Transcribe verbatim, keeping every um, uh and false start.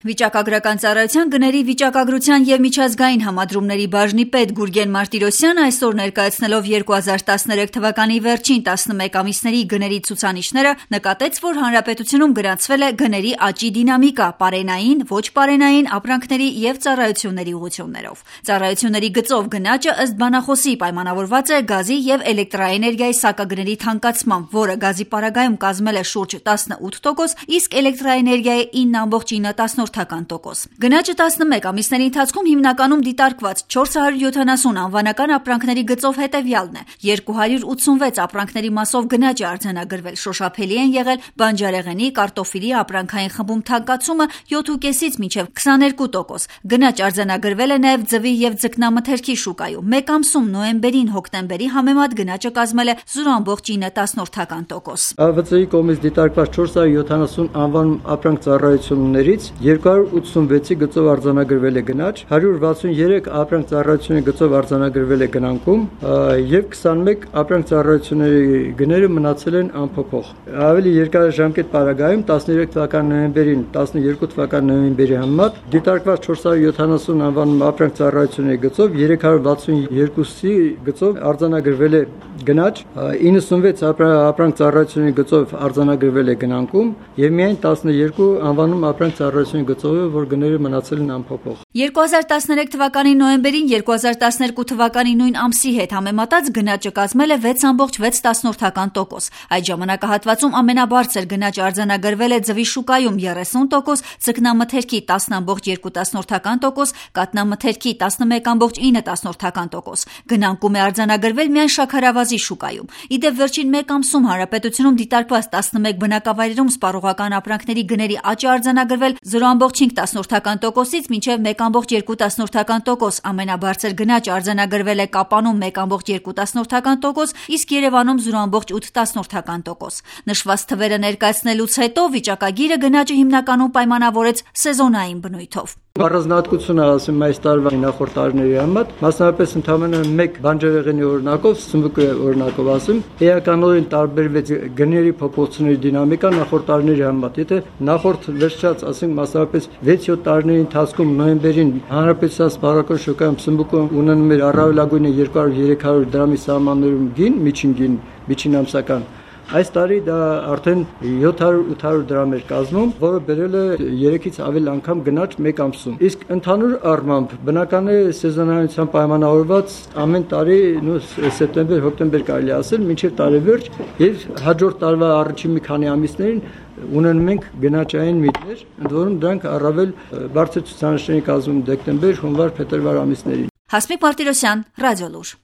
Վիճակագրական ծառայության գների վիճակագրության և միջազգային համադրումների բաժնի պետ Գուրգեն Մարտիրոսյանը այսօր ներկայացնելով երկու հազար տասներեք թվականի վերջին տասնմեկ ամիսների գների ցուցանիշները, նկատեց, որ հանրապետությունում գրանցվել է գների աճի դինամիկա պարենային, ոչ պարենային ապրանքների և ծառայությունների ուղղություններով։ Ծառայությունների գծով գնաճը ըստ բանախոսի պայմանավորված է գազի և էլեկտրաէներգիայի սակագների թանկացմամբ, որը գազի պարագայում կազմել է շուրջ տասնութ տոկոս, իսկ էլեկտրաէներգիայի ինը բացարձակ ինը տոկոս։ Գնաճը տասնմեկ ամիսների ընթացքում հիմնականում դիտարկված չորս հարյուր յոթանասուն անվանական ապրանքների գծով հետևյալն է. երկու հարյուր ութսունվեց ապրանքների մասով գնաճ է արձանագրվել, շոշափելի են եղել բանջարեղենի, կարտոֆիլի ապրանքային խմբում թանկացումը յոթ տոկոսից մինչև քսաներկու տոկոս։ Գնաճ արձանագրվել է նաև ձվի և ձկնամթերքի շուկայում։ Մեկ ամսում նոյեմբերին հոկտեմբերի համեմատ գնաճը կազմել է զրո ամբողջ ինը տոկոս։ Ա V Ծ I կողմից դիտարկված չորս հարյուր յոթանասուն անվանում ապրանք ծառայություններից երկու հարյուր ութսունվեցի գծով արձանագրվել է գնաճ, հարյուր վաթսուներեք ապրանք ծառայությունների գծով արձանագրվել է գնանկում և քսանմեկ ապրանք ծառայությունների գները մնացել են անփոփոխ։ Ավելի երկարաժամկետ պարագայում տասներեք թվականի նոյեմբերին տասներկու թվականի նոյեմբերի համեմատ դիտարկված չորս հարյուր յոթանասուն անվանում ապրանք ծառայությունների գծով երեք հարյուր վաթսունյոթի գծով արձանագրվել է գնաճ, իննսունվեց ապրանք ծառայությունների գծով արձանագրվել է գնանկում և միայն տասներկու անվանում ապրանք ծառայությունների գծով է, որ գները մնացել են անփոփոխ։ երկու հազար տասներեք թվականի նոյեմբերին երկու հազար տասներկու թվականի նույն ամսի հետ համեմատած գնաճը կազմել է վեց ամբողջ վեց տոկոս։ Այդ ժամանակահատվածում ամենաբարձր գնաճը արձանագրվել է ձվի շուկայում երեսուն տոկոս, ձկնամթերքի տասն ամբողջ երկու տոկոս, կաթնամթերքի տասնմեկ ամբողջ ինը տոկոս։ Գնանկում է արձանագրվել միայն շաքարավազի շուկայում։ Իդեպ վերջին մեկ ամսում հանրապետությունում դիտարկված տասնմեկ բնակավայրերում սպառողական ապրանքների գների աճ է արձանագրվել զրո ամբողջ հինգ տոկոսից մինչև մեկ ամբողջ երկու տոկոս։ Ամենաբարձր գնաճը արձանագրվել է Կապանում մեկ ամբողջ երկու տոկոս, իսկ Երևանում զրո ամբողջ ութ տոկոս։ Նշված թվերը ներկայացնելուց հետո վիճակագիրը գնաճը հիմնականում պայմանավորեց սեզոնային բնույթով։ Առանձնահատկությունը ասեմ այս տարվա նախորդ տարիների համեմատ, մասնավորապես ընդամենը մեկ բանջարեղենի օրինակով, սմբուկի օրինակով ասեմ, էականորեն տարբերվեց գների փոփոխությունների դինամիկան նախորդ տարիների համեմատ։ Եթե նախորդ վերջած, ասենք մասնավորապես վեց-յոթ տարիների ընթացքում նոյեմբերին հանրապետության սպառողական շուկայում սմբուկը ունենում էր առավելագույնը երկու հարյուր երեք հարյուր դրամի սահմաններում գին, միջին գին, միջին ամսական, այս տարի դա արդեն յոթ հարյուր ութ հարյուր դրամ էր կազմում, որը բերել է երեքից ավել անգամ գնաճ մեկ ամսում։ Իսկ ընդհանուր առմամբ բնական է սեզոնայնությամբ պայմանավորված ամեն տարի սեպտեմբեր, հոկտեմբեր կարելի ասել, մինչև տարեվերջ և հաջորդ տարվա առաջին մի քանի ամիսներին ունենում ենք գնաճային միտներ, ընդ որում դրանք առավել բարձր ցուցանիշներ կազմում դեկտեմբեր, հունվար, փետրվար ամիսներին։ Հասմիկ Մարտիրոսյան, Ռադիոլուր։